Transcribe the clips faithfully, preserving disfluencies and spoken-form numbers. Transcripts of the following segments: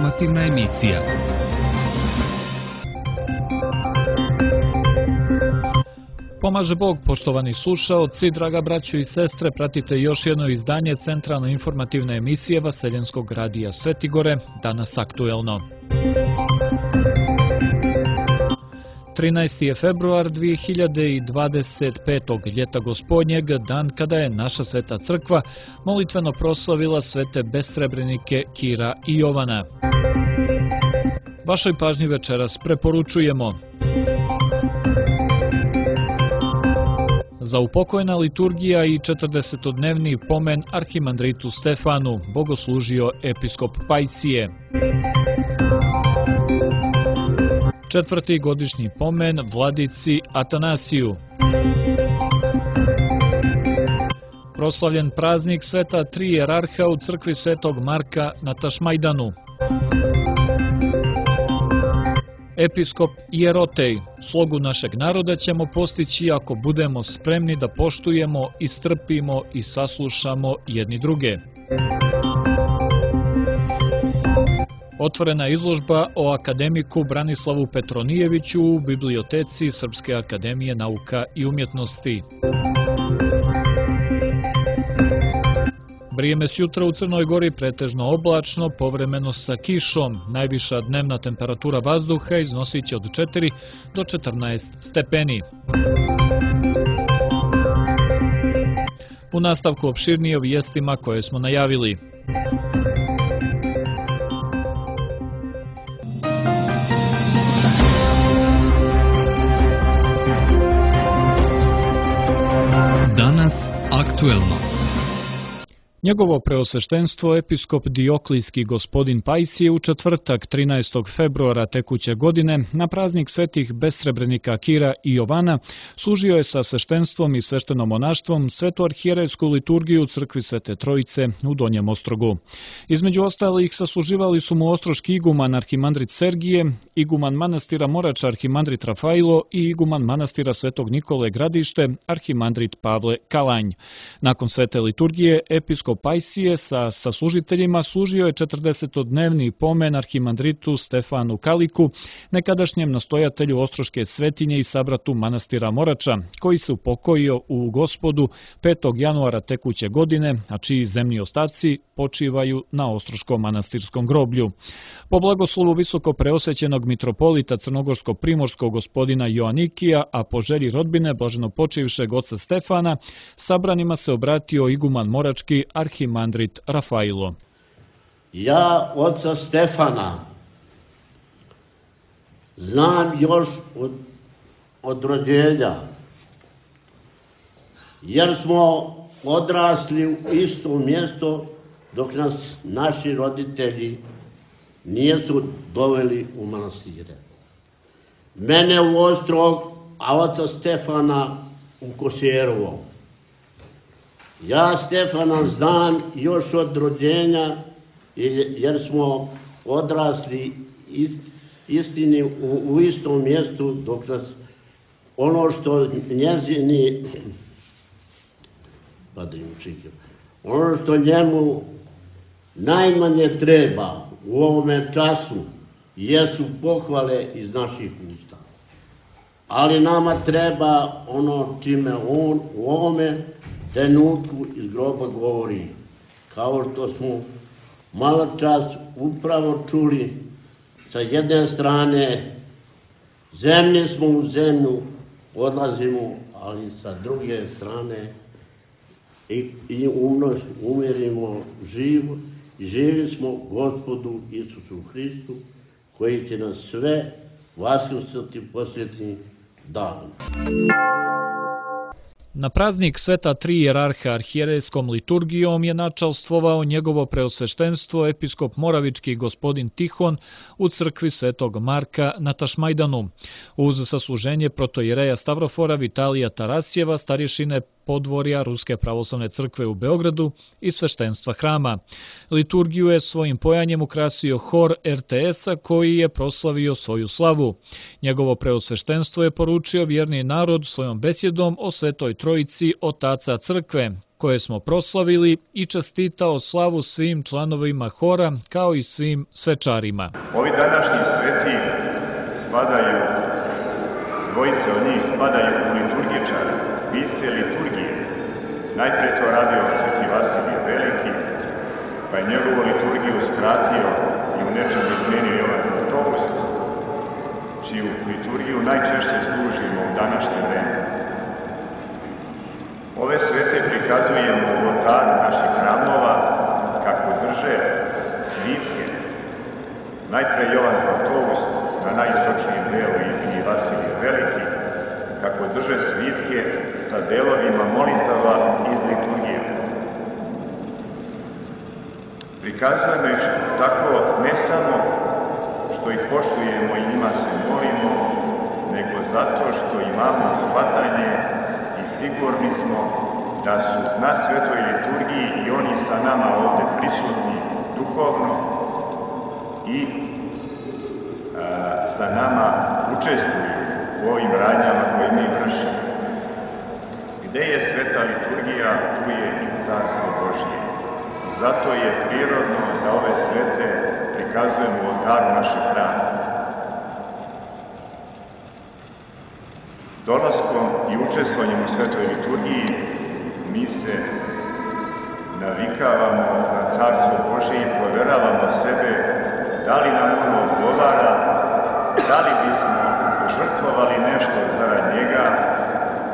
informativna emisija. Pomaže Bog, poštovani slušaoci, draga braćo i sestre, pratite još jedno izdanje centralno informativne emisije Vaseljenskog radija Svetigore, danas aktuelno. trinaesti je februar dvije hiljade dvadeset petog. ljeta gospodnjeg, dan kada je naša sveta crkva molitveno proslavila svete besrebrenike Kira i Jovana. Vašoj pažnji večeras preporučujemo: zaupokojena liturgija i četrdesetodnevni pomen arhimandritu Stefanu, bogoslužio episkop Pajsije. Četvrti godišnji pomen vladici Atanasiju. Proslavljen praznik sveta tri jerarha u crkvi svetog Marka na Tašmajdanu. Episkop Ierotej: slogu našeg naroda ćemo postići ako budemo spremni da poštujemo, istrpimo i saslušamo jedni druge. Otvorena izložba o akademiku Branislavu Petronijeviću u biblioteci Srpske akademije nauka i umjetnosti. Vrijeme sjutra u Crnoj Gori pretežno oblačno, povremeno sa kišom. Najviša dnevna temperatura vazduha iznosit će od četiri do četrnaest stepeni. U nastavku opširnije o vijestima koje smo najavili. Danas aktuelno. Njegovo preosveštenstvo episkop Dioklijski gospodin Pajsije u četvrtak trinaestog februara tekuće godine na praznik svetih besrebrenika Kira i Jovana služio je sa sveštenstvom i sveštenomonaštvom svetu arhijerejsku liturgiju u crkvi Svete Trojice u Donjem Ostrogu. Između ostalih sasluživali su mu ostroški iguman arhimandrit Sergije, iguman manastira Morača arhimandrit Rafailo i iguman manastira Svetog Nikole Gradište arhimandrit Pavle Kalanj. Nakon svete liturgije episkop Pajsije sa saslužiteljima služio je četrdesetodnevni pomen arhimandritu Stefanu Kaliku, nekadašnjem nastojatelju Ostroške svetinje i sabratu manastira Morača, koji se upokojio u Gospodu petog januara tekuće godine, a čiji zemni ostaci počivaju na Ostroškom manastirskom groblju. Po blagoslovu visoko preosvećenog mitropolita crnogorsko-primorskog gospodina Joanikija, a po želji rodbine blaženopočivšeg oca Stefana, sabranima se obratio iguman morački arhimandrit Rafailo. Ja oca Stefana znam još od, od rođenja, jer smo odrasli u isto mjesto dok nas naši roditelji nisu doveli u manastire. Mene u Ostrog, a oca Stefana u Košerovo. Ja Stefana znam još od rođenja, jer smo odrasli istini u, u istom mjestu, dok nas ono što njezini, ono što njemu najmanje treba u ovome času jesu pohvale iz naših usta. Ali nama treba ono čime on u ovome trenutku iz groba govori. Kao što smo malo čas upravo čuli, sa jedne strane zemlje smo u zemlju, odlazimo, ali sa druge strane i, i umnož, umirimo živo. Živi smo Gospodu Isusu Hristu, koji će nas sve vaskrstiti posljednjim danom. Na praznik sveta tri jerarha arhijerejskom liturgijom je načalstvovao njegovo preosveštenstvo episkop moravički gospodin Tihon u crkvi svetog Marka na Tašmajdanu. Uz sasluženje protoijereja Stavrofora Vitalija Tarasjeva, starješine podvorja Ruske pravoslavne crkve u Beogradu i sveštenstva hrama. Liturgiju je svojim pojanjem ukrasio hor er te es-a koji je proslavio svoju slavu. Njegovo preosveštenstvo je poručio vjerni narod svojom besjedom o Svetoj Trojici Otaca crkve, koje smo proslavili, i čestitao slavu svim članovima hora kao i svim svečarima. Ovi današnji sveti spadaju, dvojice od njih spadaju u liturgičare, pisce liturgije. Najprije to radio sveti Vasilije Veliki, pa je njegovu liturgiju skratio i u nečem izmenio Jovan Zlatoust, čiju liturgiju najčešće služimo u današnje vreme. Ove svete prikazujemo u oltaru naših hramova kako drže svitke. Najpre Jovan Zlatoust na najistočnijem delu i Vasilije Veliki, kako drže svitke sa delovima molitava iz liturgije. Prikazujemo ih tako ne samo što ih poštujemo i njima se molimo, nego zato što imamo shvatanje i sigurni smo da su na svetoj liturgiji i oni sa nama ovde prisutni duhovno i a, sa nama učestvuju u ovim radnjama koje mi vršimo. Gde je sveta liturgija, tu je i Carstvo Božje. Zato je prirodno da ove svete prikazujemo u oltaru naših hrama. Dolaskom i učestvovanjem u svetoj liturgiji mi se navikavamo na Carstvo Božje i proveravamo sebe da li nam ono odgovara, da li bismo žrtvovali nešto zarad njega,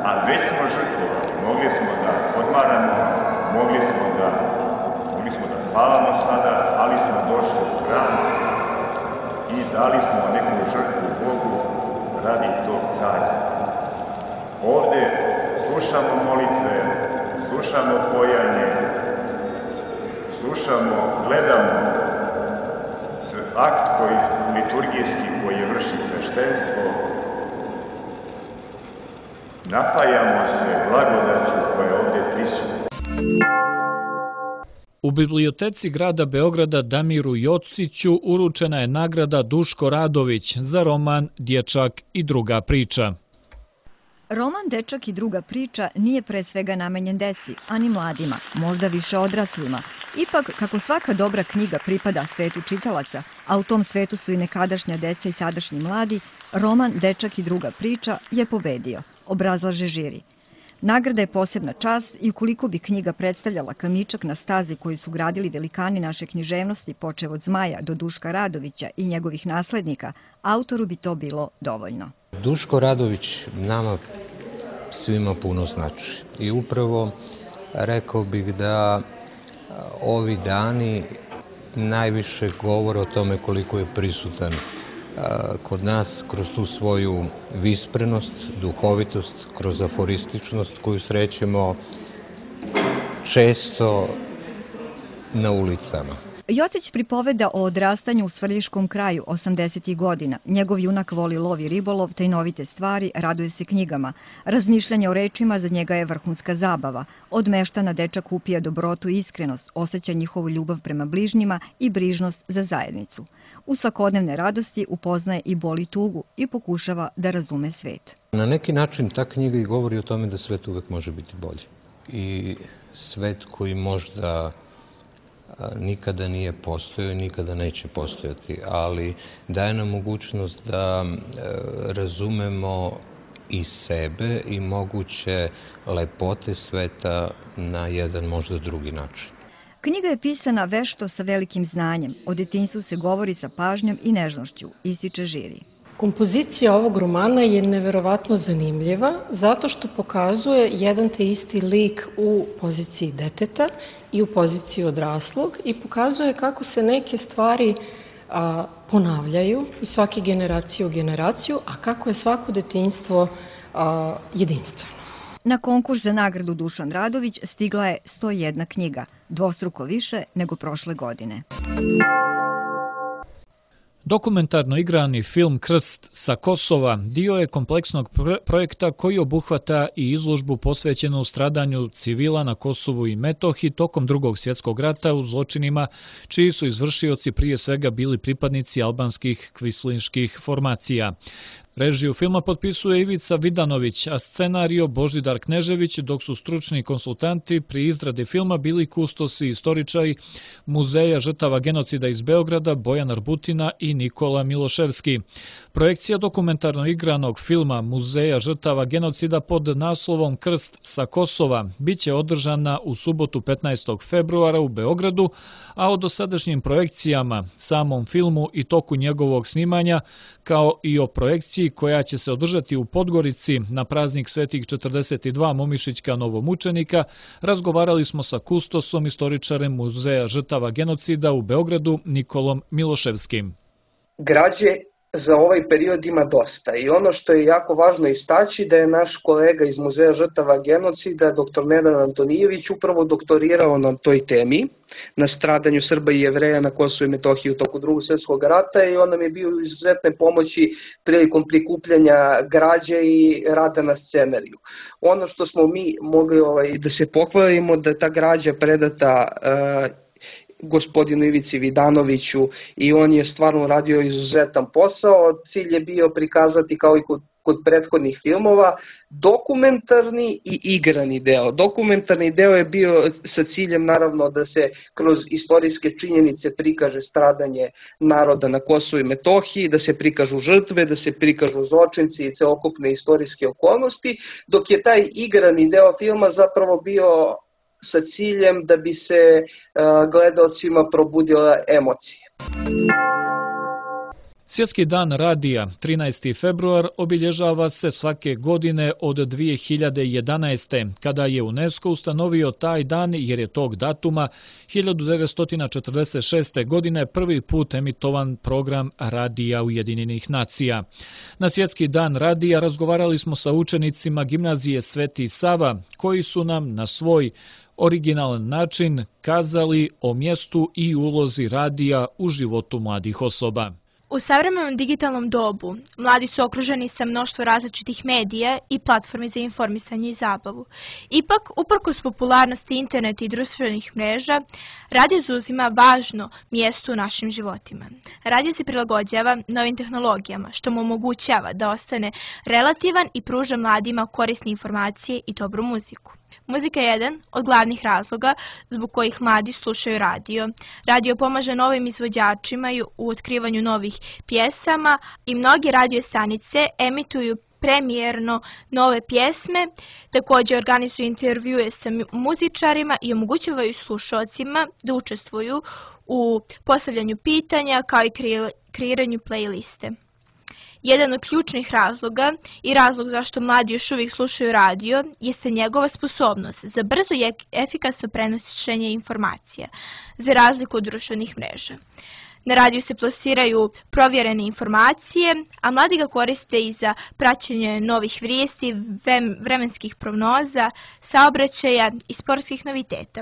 a već smo žrtvovali. Mogli smo da odmaramo, mogli smo da, mogli smo da spavamo sada, ali smo došli u hram i dali smo neku žrtvu Bogu radi tog carstva. Ovde slušamo molitve, slušamo pojanje, slušamo, gledamo akt koji liturgijski koji vrši sveštenstvo, napajamo se blagodaću koja je ovde prisutna. U biblioteci grada Beograda Damiru Jociću uručena je nagrada Duško Radović za roman Dječak i druga priča. Roman Dečak i druga priča nije pre svega namenjen deci, ani mladima, možda više odraslima. Ipak, kako svaka dobra knjiga pripada svetu čitalaca, a u tom svetu su i nekadašnja deca i sadašnji mladi, roman Dečak i druga priča je pobedio, obrazlaže žiri. Nagrada je posebna čast i ukoliko bi knjiga predstavljala kamičak na stazi koji su gradili velikani naše književnosti, počev od Zmaja do Duška Radovića i njegovih naslednika, autoru bi to bilo dovoljno. Duško Radović nama svima puno znači. I upravo rekao bih da ovi dani najviše govore o tome koliko je prisutan kod nas kroz tu svoju visprenost, duhovitost, kroz aforističnost koju srećemo često na ulicama. Jocić pripoveda o odrastanju u Svrljiškom kraju osamdesetih godina. Njegov junak voli lov i ribolov, tajnovite stvari, raduje se knjigama. Razmišljanje o rečima za njega je vrhunska zabava. Od meštana dečak upija dobrotu i iskrenost, osjeća njihovu ljubav prema bližnjima i brižnost za zajednicu. U svakodnevne radosti upoznaje i boli tugu i pokušava da razume svet. Na neki način ta knjiga i govori o tome da svet uvek može biti bolji. I svet koji možda nikada nije postojao i nikada neće postojati, ali daje nam mogućnost da razumemo i sebe i moguće lepote sveta na jedan možda drugi način. Knjiga je pisana vešto sa velikim znanjem. O detinjstvu se govori sa pažnjom i nežnošću, ističe žiri. Kompozicija ovog romana je neverovatno zanimljiva zato što pokazuje jedan te isti lik u poziciji deteta i u poziciji odraslog i pokazuje kako se neke stvari a, ponavljaju iz svake generacije u generaciju, a kako je svako detinjstvo a, jedinstveno. Na konkurs za nagradu Dušan Radović stigla je sto jedna knjiga, dvostruko više nego prošle godine. Dokumentarno igrani film Krst sa Kosova dio je kompleksnog projekta koji obuhvata i izložbu posvećenu stradanju civila na Kosovu i Metohiji tokom Drugog svjetskog rata u zločinima čiji su izvršioci prije svega bili pripadnici albanskih kvislinških formacija. Režiju filma potpisuje Ivica Vidanović, a scenario Božidar Knežević, dok su stručni konsultanti pri izradi filma bili kustosi i istoričari Muzeja žrtava genocida iz Beograda Bojan Arbutina i Nikola Miloševski. Projekcija dokumentarno igranog filma Muzeja žrtava genocida pod naslovom Krst sa Kosova biće održana u subotu petnaestog februara u Beogradu, a o dosadašnjim projekcijama, samom filmu i toku njegovog snimanja, kao i o projekciji koja će se održati u Podgorici na praznik Svetih četrdeset dva Momišićka novomučenika, razgovarali smo sa kustosom, istoričarem Muzeja žrtava genocida u Beogradu Nikolom Miloševskim. Građe za ovaj period ima dosta i ono što je jako važno istaći da je naš kolega iz Muzeja žrtava genocida, doktor Nenad Antonijević, upravo doktorirao na toj temi, na stradanju Srba i Jevreja na Kosovu i Metohiji u toku Drugog svjetskog rata, i on nam je bio izuzetne pomoći prilikom prikupljanja građe i rada na scenariju. Ono što smo mi mogli ovaj, da se pohvalimo, da ta građa predata uh, gospodinu Ivici Vidanoviću i on je stvarno radio izuzetan posao. Cilj je bio prikazati, kao i kod, kod prethodnih filmova, dokumentarni i igrani deo. Dokumentarni deo je bio sa ciljem naravno da se kroz istorijske činjenice prikaže stradanje naroda na Kosovu i Metohiji, da se prikažu žrtve, da se prikažu zločinci i celokupne istorijske okolnosti, dok je taj igrani deo filma zapravo bio sa ciljem da bi se uh, gledaocima probudila emocije. Svjetski dan radija, trinaesti februar, obilježava se svake godine od dvije hiljade jedanaeste. kada je UNESCO ustanovio taj dan jer je tog datuma hiljadu devetsto četrdeset šeste. godine prvi put emitovan program Radija Ujedinjenih nacija. Na Svjetski dan radija razgovarali smo sa učenicima gimnazije Sveti Sava, koji su nam na svoj originalan način kazali o mjestu i ulozi radija u životu mladih osoba. U savremenom digitalnom dobu mladi su okruženi sa mnoštvo različitih medija i platformi za informisanje i zabavu. Ipak, uprkos popularnosti interneta i društvenih mreža, radio zauzima važno mjesto u našim životima. Radio se prilagođava novim tehnologijama, što mu omogućava da ostane relativan i pruža mladima korisne informacije i dobru muziku. Muzika je jedan od glavnih razloga zbog kojih mladi slušaju radio. Radio pomaže novim izvođačima u otkrivanju novih pjesama i mnoge radio stanice emituju premijerno nove pjesme, također organizuju intervjue sa muzičarima i omogućavaju slušalcima da učestvuju u postavljanju pitanja kao i kreiranju playliste. Jedan od ključnih razloga i razlog zašto mladi još uvijek slušaju radio jeste njegova sposobnost za brzo i efikasno prenošenje informacija, za razliku od društvenih mreža. Na radiju se plasiraju provjerene informacije, a mladi ga koriste i za praćenje novih vijesti, vremenskih prognoza, saobraćaja i sportskih noviteta.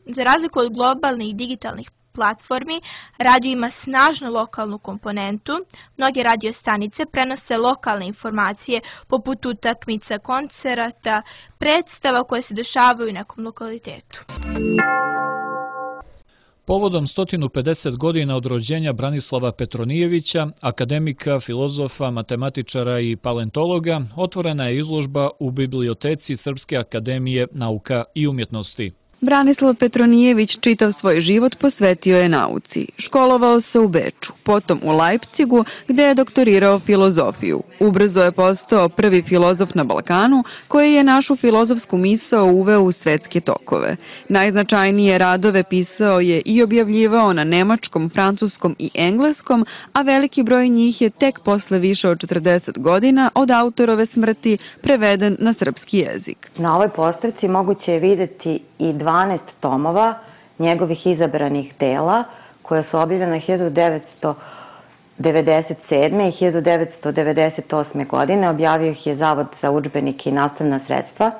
Za razliku od globalnih i digitalnih platformi, radio ima snažnu lokalnu komponentu. Mnoge radio stanice prenose lokalne informacije poput utakmica, koncerata, predstava koje se dešavaju u nekom lokalitetu. Povodom sto pedeset godina od rođenja Branislava Petronijevića, akademika, filozofa, matematičara i paleontologa, otvorena je izložba u biblioteci Srpske akademije nauka i umjetnosti. Branislav Petronijević čitav svoj život posvetio je nauci. Školovao se u Beču, potom u Leipzigu gdje je doktorirao filozofiju. Ubrzo je postao prvi filozof na Balkanu koji je našu filozofsku misao uveo u svetske tokove. Najznačajnije radove pisao je i objavljivao na nemačkom, francuskom i engleskom, a veliki broj njih je tek posle više od četrdeset godina od autorove smrti preveden na srpski jezik. Na ovoj postavci moguće je vidjeti i dvanaest tomova njegovih izabranih dela koja su objavljena hiljadu devetsto devedeset sedme. i hiljadu devetsto devedeset osme. godine. Objavio ih je Zavod za udžbenike i nastavna sredstva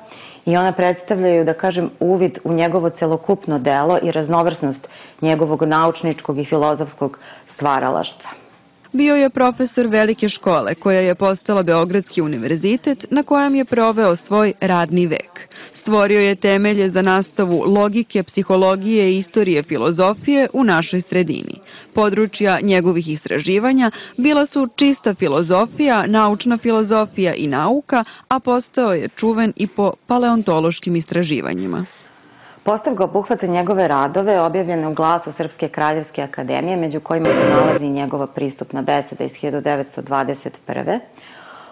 i ona predstavljaju, da kažem, uvid u njegovo celokupno delo i raznovrsnost njegovog naučničkog i filozofskog stvaralaštva. Bio je profesor velike škole koja je postala Beogradski univerzitet na kojem je proveo svoj radni vek. Stvorio je temelje za nastavu logike, psihologije i istorije filozofije u našoj sredini. Područja njegovih istraživanja bila su čista filozofija, naučna filozofija i nauka, a postao je čuven i po paleontološkim istraživanjima. Postavka obuhvata njegove radove objavljene u Glasu Srpske kraljevske akademije, među kojima se nalazi njegova pristupna beseda iz hiljadu devetsto dvadeset prve.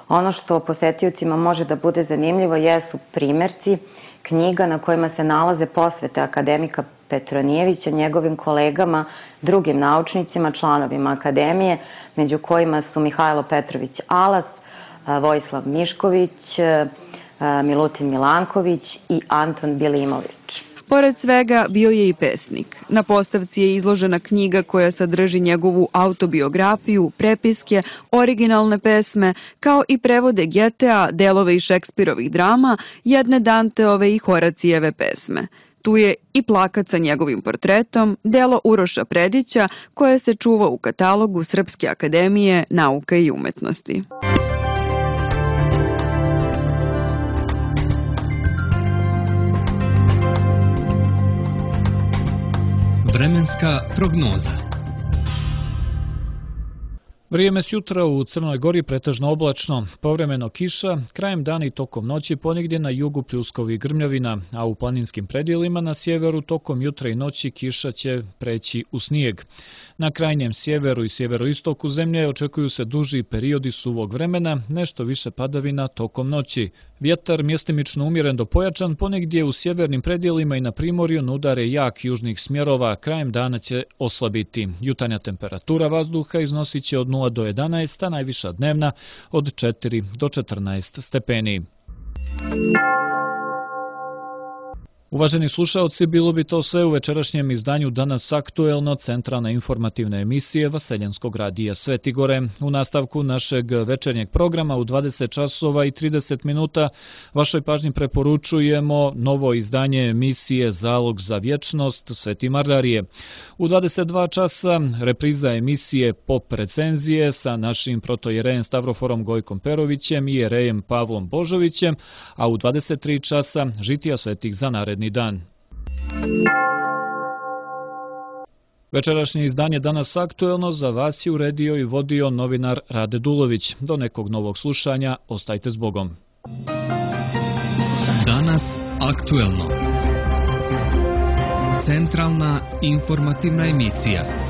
Ono što posetiocima može da bude zanimljivo jesu primerci knjiga na kojima se nalaze posvete akademika Petronijevića, njegovim kolegama, drugim naučnicima, članovima akademije, među kojima su Mihajlo Petrović Alas, Vojislav Mišković, Milutin Milanković i Anton Bilimović. Pored svega, bio je i pesnik. Na postavci je izložena knjiga koja sadrži njegovu autobiografiju, prepiske, originalne pesme, kao i prevode Getea, delove iz Šekspirovih drama, jedne Danteove i Horacijeve pesme. Tu je i plakat sa njegovim portretom, delo Uroša Predića, koje se čuva u katalogu Srpske akademije nauka i umetnosti. Vremenska prognoza. Vrijeme s jutra u Crnoj Gori pretežno oblačno, povremeno kiša, krajem dana i tokom noći ponegdje na jugu pljuskovi i grmljavina, a u planinskim predjelima na sjeveru tokom jutra i noći kiša će preći u snijeg. Na krajnjem sjeveru i sjeveroistoku zemlje očekuju se duži periodi suvog vremena, nešto više padavina tokom noći. Vjetar mjestimično umjeren do pojačan, ponegdje u sjevernim predjelima i na primorju na udare jak južnih smjerova, krajem dana će oslabiti. Jutarnja temperatura vazduha iznosit će od nula do jedanaest, a najviša dnevna od četiri do četrnaest stepeni. Uvaženi slušaoci, bilo bi to sve u večerašnjem izdanju Danas aktuelno, centralna informativna emisije Vaseljenskog radija Svetigore. U nastavku našeg večernjeg programa u dvadeset časova i trideset minuta vašoj pažnji preporučujemo novo izdanje emisije Zalog za vječnost Sveti Mardarije. U dvadeset dva časa repriza emisije Pop recenzije sa našim protojerejem Stavroforom Gojkom Perovićem i jerejem Pavlom Božovićem, a u dvadeset tri časa žitija svetih za naredni dan. Večerašnje izdanje Danas aktuelno za vas je uredio i vodio novinar Rade Dulović. Do nekog novog slušanja, ostajte s Bogom. Danas aktuelno. Centralna informativna emisija.